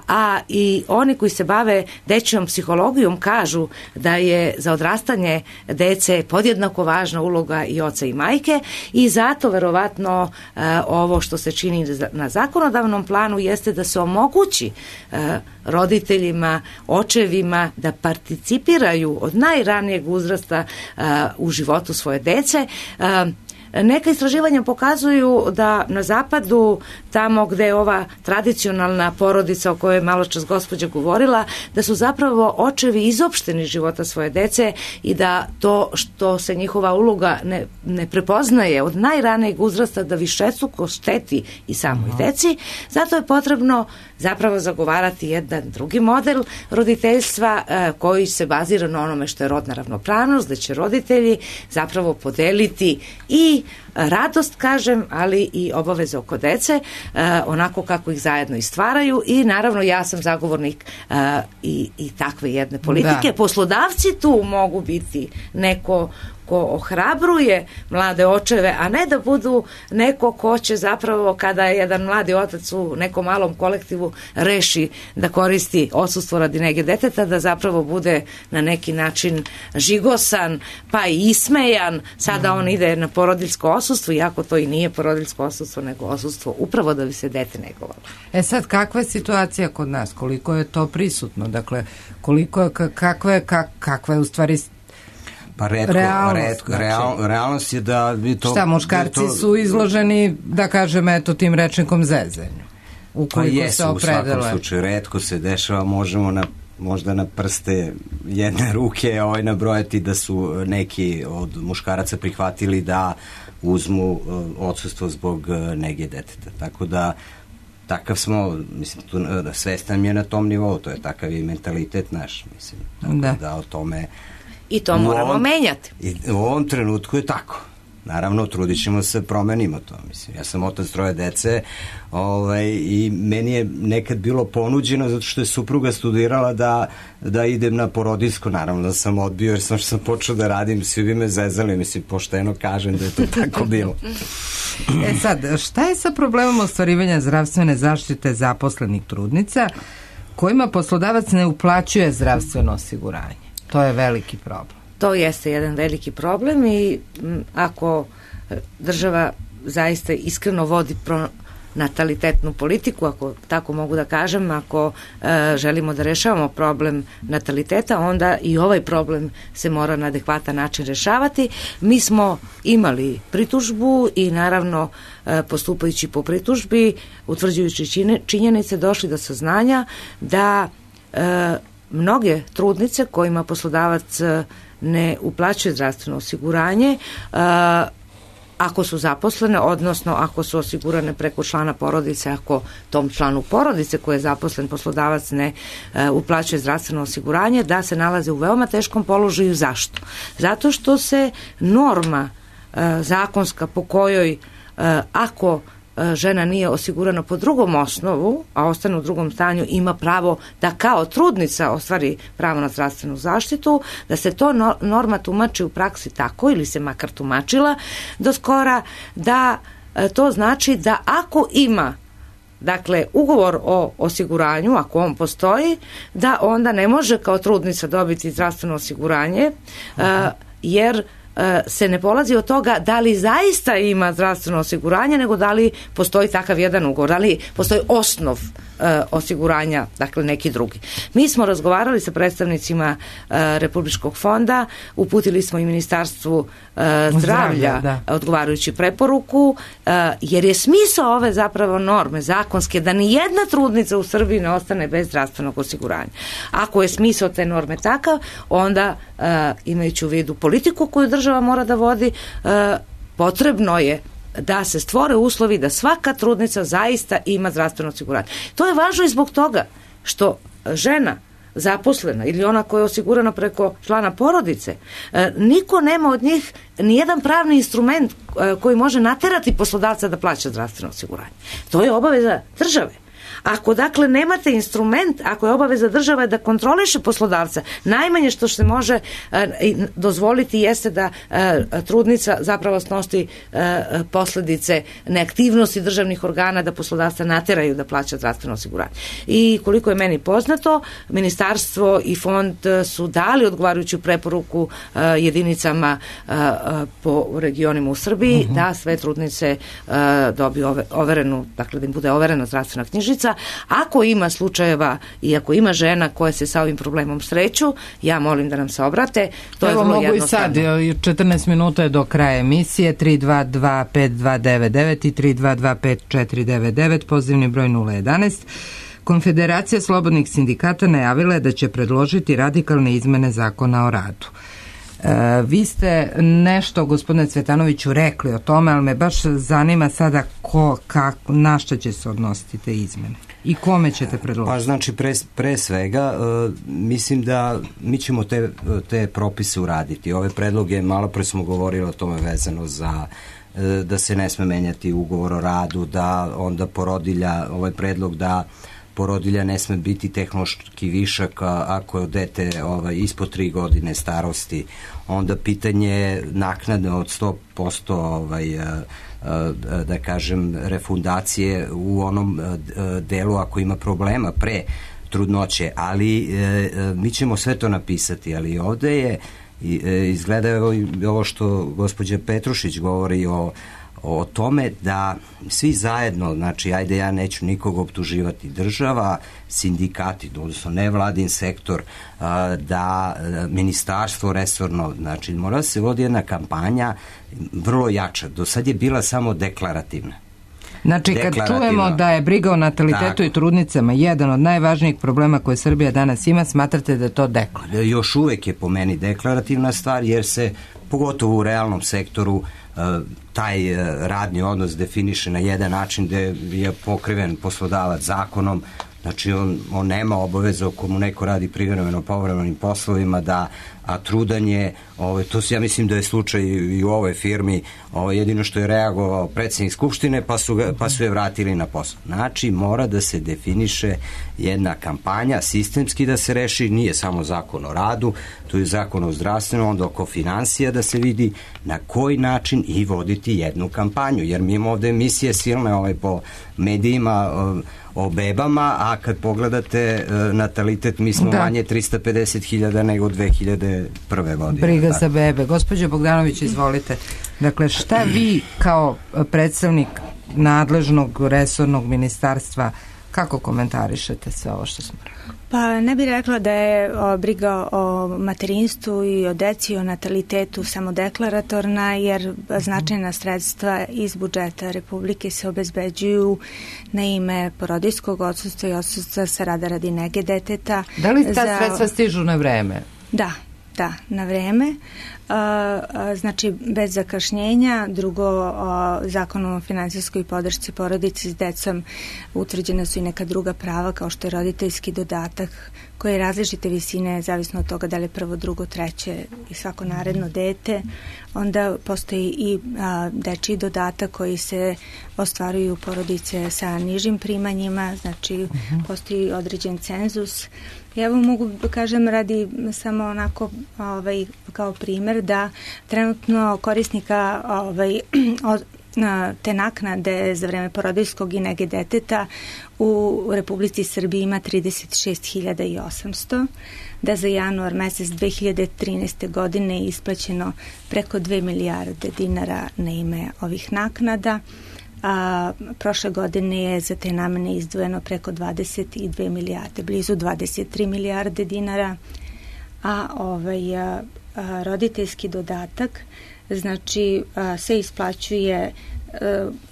a i oni koji se bave dečjom psihologijom kažu da je za odrastanje dece podjednako važna uloga i oca i majke i zato verovatno ovo što se čini na zakonodavnom planu jeste da se omogući roditeljima, očevima da participiraju od najranijeg uzrasta u životu svoje dece. neka istraživanja pokazuju da na zapadu, tamo gde je ova tradicionalna porodica o kojoj je malo čas gospođa govorila, da su zapravo očevi izopšteni života svoje dece i da to što se njihova uloga ne prepoznaje od najranijeg uzrasta da višestruko šteti i samoj deci, zato je potrebno zapravo zagovarati jedan drugi model roditeljstva koji se bazira na onome što je rodna ravnopravnost, da će roditelji zapravo podeliti i radost, kažem, ali i obaveze oko dece, onako kako ih zajedno i stvaraju i naravno ja sam zagovornik i takve jedne politike. Da. Poslodavci tu mogu biti neko ko ohrabruje mlade očeve, a ne da budu neko ko će zapravo kada je jedan mladi otac u nekom malom kolektivu reši da koristi odsustvo radi nege deteta, da zapravo bude na neki način žigosan, pa i ismejan, sada on ide na porodiljsko odsustvo, iako to i nije porodiljsko odsustvo, nego odsustvo upravo da bi se dete negovalo. Sad, kakva je situacija kod nas? Koliko je to prisutno? Dakle, kakva je u stvari pa realnost je da bi to... Šta, muškarci su izloženi, da kažem, eto, tim rečnikom zezanju. Ukoliko se opredele. U svakom slučaju, retko se dešava, možemo možda na prste jedne ruke nabrojati da su neki od muškaraca prihvatili da uzmu odsustvo zbog nege deteta. Tako da takav smo, mislim, svestan je na tom nivou, to je takav i mentalitet naš, mislim. Tako da o tome... I to moramo menjati. I u ovom trenutku je tako. Naravno, trudit ćemo se, promenimo to. Mislim, ja sam otac 3 dece i meni je nekad bilo ponuđeno zato što je supruga studirala da idem na porodiljsko. Naravno da sam odbio jer sam počeo da radim, svi bi me zezali, mislim, pošteno kažem da je to tako bilo. Sad, šta je sa problemom ostvarivanja zdravstvene zaštite zaposlenih trudnica kojima poslodavac ne uplaćuje zdravstveno osiguranje? To je veliki problem. To jeste jedan veliki problem i ako država zaista iskreno vodi natalitetnu politiku, ako tako mogu da kažem, ako želimo da rešavamo problem nataliteta, onda i ovaj problem se mora na adekvatan način rešavati. Mi smo imali pritužbu i naravno postupajući po pritužbi, utvrđujući činjenice, došli do saznanja da mnoge trudnice kojima poslodavac ne uplaćuje zdravstveno osiguranje, ako su zaposlene, odnosno ako su osigurane preko člana porodice, ako tom članu porodice koji je zaposlen poslodavac ne uplaćuje zdravstveno osiguranje, da se nalaze u veoma teškom položaju. Zašto? Zato što se norma zakonska po kojoj ako žena nije osigurana po drugom osnovu, a ostane u drugom stanju, ima pravo da kao trudnica ostvari pravo na zdravstvenu zaštitu, da se to norma tumači u praksi tako, ili se makar tumačila do skora, da to znači da ako ima ugovor o osiguranju, ako on postoji, da onda ne može kao trudnica dobiti zdravstveno osiguranje, jer se ne polazi od toga da li zaista ima zdravstveno osiguranje, nego da li postoji takav jedan ugovor, da li postoji osnov osiguranja, dakle neki drugi. Mi smo razgovarali sa predstavnicima Republičkog fonda, uputili smo i Ministarstvu zdravlja odgovarajući preporuku, jer je smisao ove zapravo norme zakonske da ni jedna trudnica u Srbiji ne ostane bez zdravstvenog osiguranja. Ako je smisao te norme takav, onda imajući u vidu politiku koju država mora da vodi, potrebno je da se stvore uslovi da svaka trudnica zaista ima zdravstveno osiguranje. To je važno i zbog toga što žena zaposlena ili ona koja je osigurana preko člana porodice, niko nema od njih nijedan pravni instrument koji može naterati poslodavca da plaća zdravstveno osiguranje. To je obaveza države. Ako dakle nemate instrument, ako je obaveza države da kontroliše poslodavca, najmanje što se može dozvoliti jeste da trudnica zapravo snosi posledice neaktivnosti državnih organa da poslodavca nateraju da plaća zdravstveno osiguranje. I koliko je meni poznato, Ministarstvo i Fond su dali odgovarajuću preporuku jedinicama po regionima u Srbiji da sve trudnice dobiju overenu, dakle da im bude overena zdravstvena knjižica trudnica. Ako ima slučajeva i ako ima žena koje se sa ovim problemom sreću, ja molim da nam se obrate. To Evo, je vrlo mogu jednostavno. I sad, 14 minuta je do kraja emisije, 322-5299 i 322-5499, pozivni broj 011. Konfederacija slobodnih sindikata najavila je da će predložiti radikalne izmene zakona o radu. Vi ste nešto, gospodine Cvetanoviću, rekli o tome, ali me baš zanima sada na što će se odnositi te izmene i kome ćete predložiti? Pa znači pre svega mislim da mi ćemo te propise uraditi. Ove predloge, malo pre smo govorili o tome vezano za da se ne sme menjati ugovor o radu, da onda porodilja, ovaj predlog da porodilja ne sme biti tehnološki višak ako je dete ispod 3 godine starosti. Onda pitanje naknade od 100% da kažem refundacije u onom delu ako ima problema pre trudnoće, ali mi ćemo sve to napisati, ali ovde je izgleda ovo što gospođa Petrušić govori o tome da svi zajedno, znači ajde ja neću nikog optuživati, država, sindikati, odnosno nevladin sektor, da ministarstvo resorno, znači mora da se vodi jedna kampanja vrlo jača. Do sad je bila samo deklarativna. Znači, kad čujemo da je briga o natalitetu i trudnicama jedan od najvažnijih problema koje Srbija danas ima, smatrate da je to deklarativno? Još uvek je po meni deklarativna stvar, jer se, pogotovo u realnom sektoru, taj radni odnos definiše na jedan način gde je pokriven poslodavac zakonom. Znači, on nema obaveza ako mu neko radi privremeno povremenim poslovima, a trudanje, to ja mislim da je slučaj i u ovoj firmi, jedino što je reagovao predsjednik Skupštine pa su je vratili na posao. Znači, mora da se definiše jedna kampanja, sistemski da se reši, nije samo zakon o radu, tu je zakon o zdravstvenom, onda oko financija da se vidi na koji način i voditi jednu kampanju, jer mi imamo ovde emisije silne po medijima o bebama, a kad pogledate natalitet, mi smo manje 350.000 nego 2001. godine. Briga za bebe. Gospođo Bogdanović, izvolite. Dakle, šta vi kao predstavnik nadležnog resornog ministarstva, kako komentarišete sve ovo što smo rekli? Pa ne bih rekla da je briga o materinstvu i o deci i o natalitetu samo deklaratorna, jer značajna sredstva iz budžeta Republike se obezbeđuju na ime porodijskog odsustva i odsustva sa rada radi nege deteta. Da li ta sredstva stižu na vreme? Da, na vreme. Znači, bez zakašnjenja. Drugo, zakonom o finansijskoj podršci porodici s decom utvrđena su i neka druga prava, kao što je roditeljski dodatak, koji je različite visine, zavisno od toga da li je prvo, drugo, treće i svako naredno dete. Onda postoji i dečiji dodatak koji se ostvaruju porodice sa nižim primanjima, znači postoji određen cenzus. Ja vam mogu kažem, radi samo onako kao primer, da trenutno korisnika te naknade za vreme porodijskog i nege deteta u Republici Srbiji ima 36.800, da za januar mesec 2013. godine je isplaćeno preko 2 milijarde dinara na ime ovih naknada, a prošle godine je za te namene izdvojeno preko 22 milijarde, blizu 23 milijarde dinara, a roditeljski dodatak znači se isplaćuje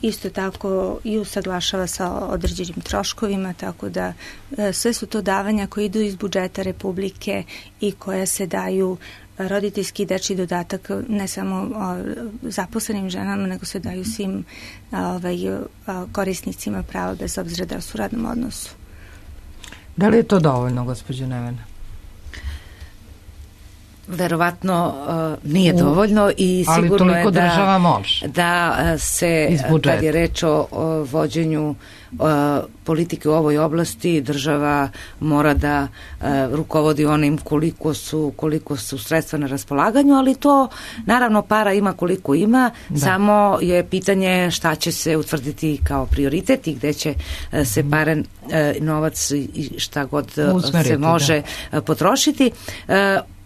isto tako i usaglašava sa određenim troškovima, tako da sve su to davanja koje idu iz budžeta Republike i koja se daju, roditeljski dečji dodatak ne samo zaposlenim ženama, nego se daju svim korisnicima prava bez obzira da su u radnom odnosu. Da li je to dovoljno, gospođo Nevena? Verovatno nije dovoljno i sigurno je da se, kad je reč o vođenju politike u ovoj oblasti, država mora da rukovodi onim koliko su sredstva na raspolaganju, ali to naravno para ima koliko ima, samo je pitanje šta će se utvrditi kao prioritet i gde će se novac i šta god se može potrošiti.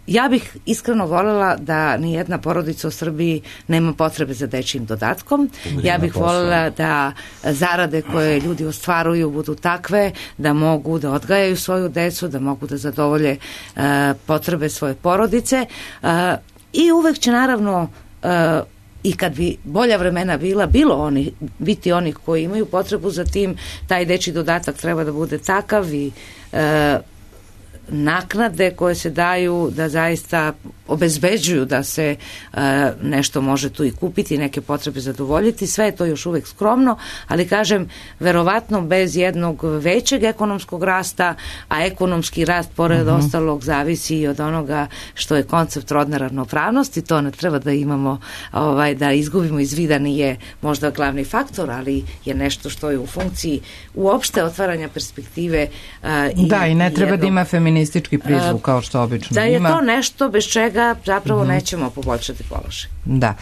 Ja bih iskreno voljela da nijedna porodica u Srbiji nema potrebe za dečjim dodatkom. Ja bih voljela da zarade koje ljudi ostvaruju budu takve da mogu da odgajaju svoju decu, da mogu da zadovolje potrebe svoje porodice i uvek će naravno i kad bi bolja vremena biti oni koji imaju potrebu za tim, taj dečji dodatak treba da bude takav i naknade koje se daju da zaista obezbeđuju da se nešto može tu i kupiti, neke potrebe zadovoljiti, sve je to još uvek skromno, ali kažem, verovatno bez jednog većeg ekonomskog rasta, a ekonomski rast pored ostalog zavisi i od onoga što je koncept rodne ravnopravnosti, to ne treba da imamo, da izgubimo iz vida, nije možda glavni faktor, ali je nešto što je u funkciji uopšte otvaranja perspektive. I ne treba da ima feministički prizvuk kao što obično da ima. Je to nešto bez čega zapravo nećemo poboljšati položaj. Da.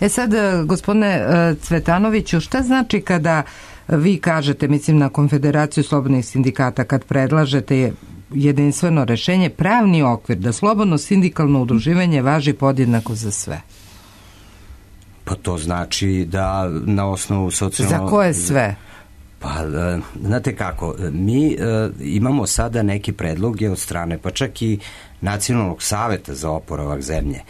Sad, gospodine Cvetanoviću, šta znači kada vi kažete, mislim na Konfederaciju slobodnih sindikata, kad predlažete jedinstveno rešenje, pravni okvir, da slobodno sindikalno udruživanje važi podjednako za sve? Pa to znači da na osnovu socijalno... Za koje sve? Pa, znate kako, mi imamo sada neke predloge od strane, pa čak i Nacionalnog saveta za oporavak zemlje,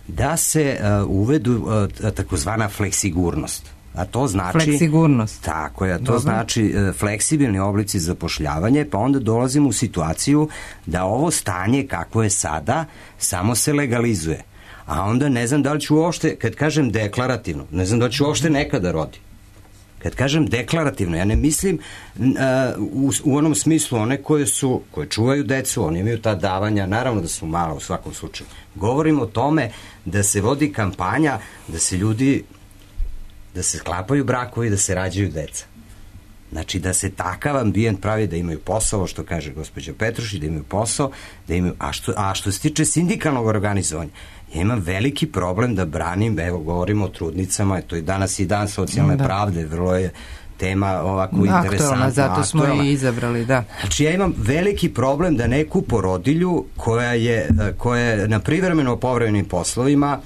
da se uvedu takozvana fleksigurnost. A to znači... Fleksigurnost. Tako je, to znači fleksibilni oblici zapošljavanja, pa onda dolazimo u situaciju da ovo stanje kako je sada samo se legalizuje. A onda ne znam da li ću uopšte, kad kažem deklarativno, ne znam da li ću uopšte nekada rodi. Kad kažem deklarativno, ja ne mislim u onom smislu one koje čuvaju decu, oni imaju ta davanja, naravno da su mala u svakom slučaju. Govorim o tome da se vodi kampanja, da se sklapaju brakovi, da se rađaju deca. Znači da se takav ambijent pravi, da imaju posao, što kaže gospođa Petrušić, da imaju posao, a što se tiče sindikalnog organizovanja, ja imam veliki problem da branim, evo govorimo o trudnicama, to je danas i dan socijalne pravde, vrlo je tema ovako interesantna. Zato smo i izabrali, da. Znači ja imam veliki problem da neku porodilju koja je na privremeno povremenim poslovima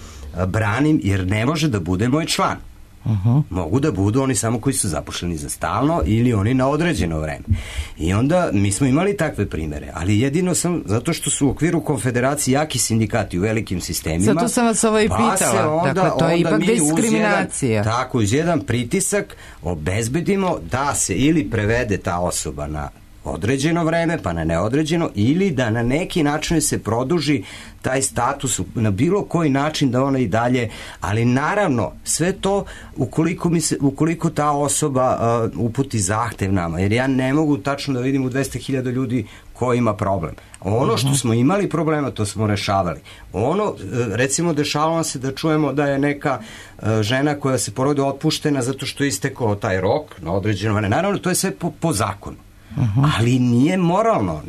branim, jer ne može da bude moj član. Mogu da budu oni samo koji su zaposleni za stalno ili oni na određeno vreme. I onda mi smo imali takve primere, ali jedino zato što su u okviru konfederacije jaki sindikati u velikim sistemima. Zato sam vas ovo i pitala. Dakle, to je ipak diskriminacija. Tako, uz jedan pritisak obezbedimo da se ili prevede ta osoba na određeno vreme, pa na neodređeno, ili da na neki način se produži taj status na bilo koji način da ona i dalje, ali naravno sve to ukoliko ta osoba uputi zahtev nama, jer ja ne mogu tačno da vidim u 200.000 ljudi ko ima problem. Ono što smo imali problema, to smo rešavali. Recimo, dešavalo se da čujemo da je neka žena koja se porodi otpuštena zato što je istekao taj rok na određeno vreme. Naravno, to je sve po zakonu. Ali nije moralno,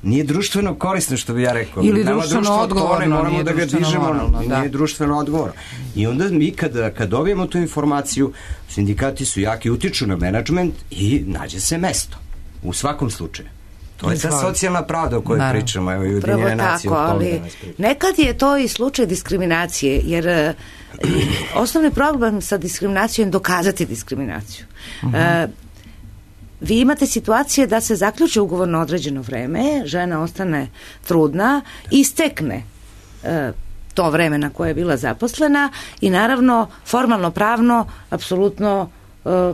nije društveno korisno, što bi ja rekao. Ili društveno odgovorno. Moramo da ga dižemo, nije društveno odgovorno. I onda mi kad dobijemo tu informaciju, sindikati su jaki, utiču na menadžment i nađe se mesto. U svakom slučaju. To je ta socijalna pravda o kojoj pričamo. Evo, i Ujedinjene nacije. Pravo tako, ali nekad je to i slučaj diskriminacije, jer osnovni problem sa diskriminacijom je dokazati diskriminaciju. Vi imate situacije da se zaključi ugovor na određeno vreme, žena ostane trudna, istekne to vreme na koje je bila zaposlena i naravno formalno pravno apsolutno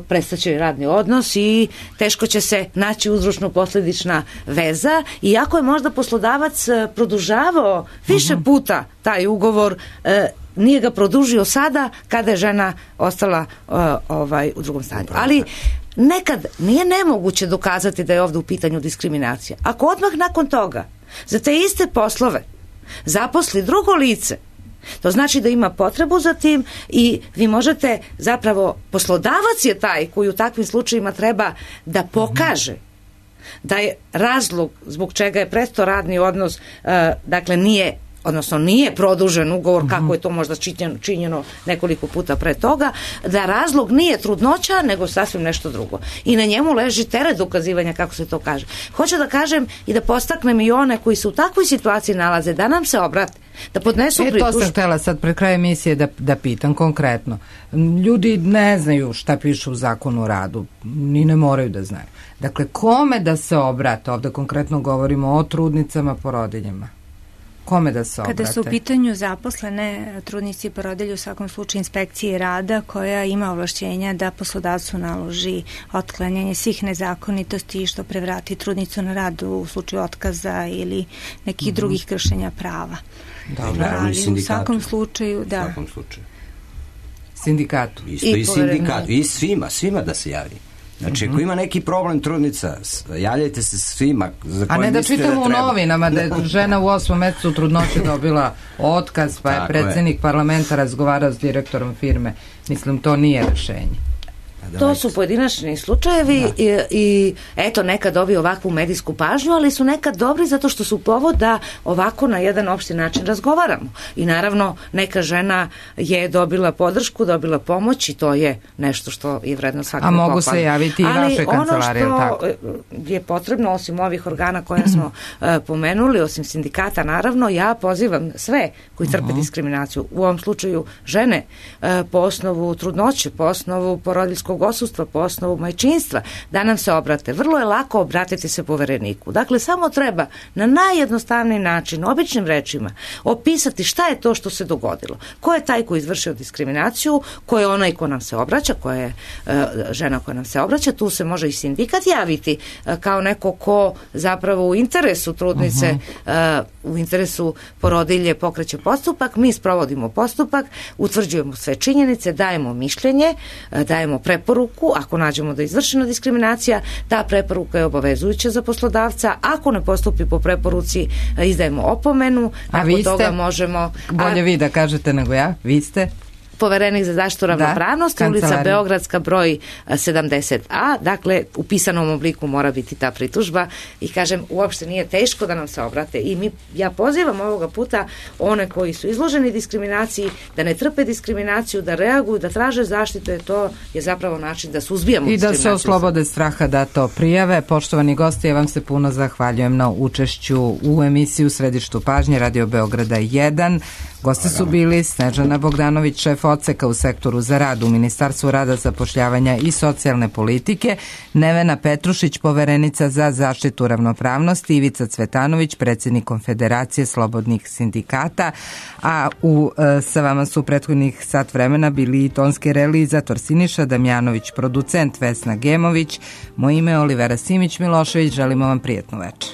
prestaće radni odnos i teško će se naći uzročno-posledična veza, iako je možda poslodavac produžavao više puta taj ugovor, nije ga produžio sada kada je žena ostala u drugom stanju. Ali nekad nije nemoguće dokazati da je ovdje u pitanju diskriminacija. Ako odmah nakon toga za te iste poslove zaposli drugo lice, to znači da ima potrebu za tim i vi možete, zapravo poslodavac je taj koji u takvim slučajima treba da pokaže da je razlog zbog čega je prestao radni odnos, dakle nije produžen ugovor kako je to možda činjeno nekoliko puta pre toga, da razlog nije trudnoća nego sasvim nešto drugo. I na njemu leži teret dokazivanja, kako se to kaže. Hoću da kažem i da podstaknem i one koji se u takvoj situaciji nalaze da nam se obrate. Da podnesu pritužbu. To sam htjela sad pred kraj emisije da pitam konkretno. Ljudi ne znaju šta piše u zakonu o radu, ni ne moraju da znaju. Dakle, kome da se obrate? Ovde konkretno govorimo o trudnicama, porodiljama. Kome da se obrate? Kada su u pitanju zaposlene trudnici i porodilje, u svakom slučaju inspekcije rada koja ima ovlašćenja da poslodavcu naloži otklanjanje svih nezakonitosti što prevrati trudnicu na rad u slučaju otkaza ili nekih drugih kršenja prava. Dobro, ali u svakom slučaju, da. U svakom slučaju. Sindikatu. Isto i sindikatu. I svima da se javi. Znači, ako ima neki problem trudnica, javljajte se svima. A ne da čitamo u novinama da je žena u 8. mesecu trudnoće dobila otkaz, pa je predsjednik parlamenta razgovarao s direktorom firme. Mislim, to nije rešenje. To su pojedinačni slučajevi i eto, nekad dobiju ovakvu medijsku pažnju, ali su nekad dobri zato što su povod da ovako na jedan opšti način razgovaramo. I naravno, neka žena je dobila podršku, dobila pomoć i to je nešto što je vredno svakako pohvaliti. A mogu se javiti i vaše kancelarije, tako? Ali ono što je potrebno, osim ovih organa koje smo pomenuli, osim sindikata, naravno, ja pozivam sve koji trpe diskriminaciju, u ovom slučaju žene, po osnovu trudnoće, po osnovu porodiljskog odsustva, po osnovu majčinstva, da nam se obrate. Vrlo je lako obratiti se povereniku. Dakle, samo treba na najjednostavniji način, običnim rečima, opisati šta je to što se dogodilo. Ko je taj koji izvršio diskriminaciju, ko je onaj ko nam se obraća, ko je žena koja nam se obraća, tu se može i sindikat javiti kao neko ko zapravo u interesu trudnice, u interesu porodilje pokreće postupak, mi sprovodimo postupak, utvrđujemo sve činjenice, dajemo mišljenje, dajemo preporuku, ako nađemo da je izvršena diskriminacija, ta preporuka je obavezujuća za poslodavca, ako ne postupi po preporuci, izdajemo opomenu, nakon toga možemo... Bolje vi da kažete nego ja, vi ste... Poverenik za zaštitu ravnopravnosti, ulica Beogradska, broj 70A, dakle u pisanom obliku mora biti ta pritužba i kažem, uopšte nije teško da nam se obrate i ja pozivam ovoga puta one koji su izloženi diskriminaciji da ne trpe diskriminaciju, da reaguju, da traže zaštitu, jer to je zapravo način da suzbijamo diskriminaciju. I da se oslobode straha da to prijave. Poštovani gosti, ja vam se puno zahvaljujem na učešću u emisiji U središtu pažnje Radio Beograda 1. Gosti su bili Snežana Bogdanović, šef odseka u sektoru za rad u Ministarstvu rada, zapošljavanja i socijalne politike, Nevena Petrušić, poverenica za zaštitu ravnopravnosti, Ivica Cvetanović, predsjednik Konfederacije slobodnih sindikata, a sa vama su prethodnih sat vremena bili i tonski realizator Siniša Damjanović, producent Vesna Gemović. Moje ime je Olivera Simić-Milošević, želimo vam prijetnu večer.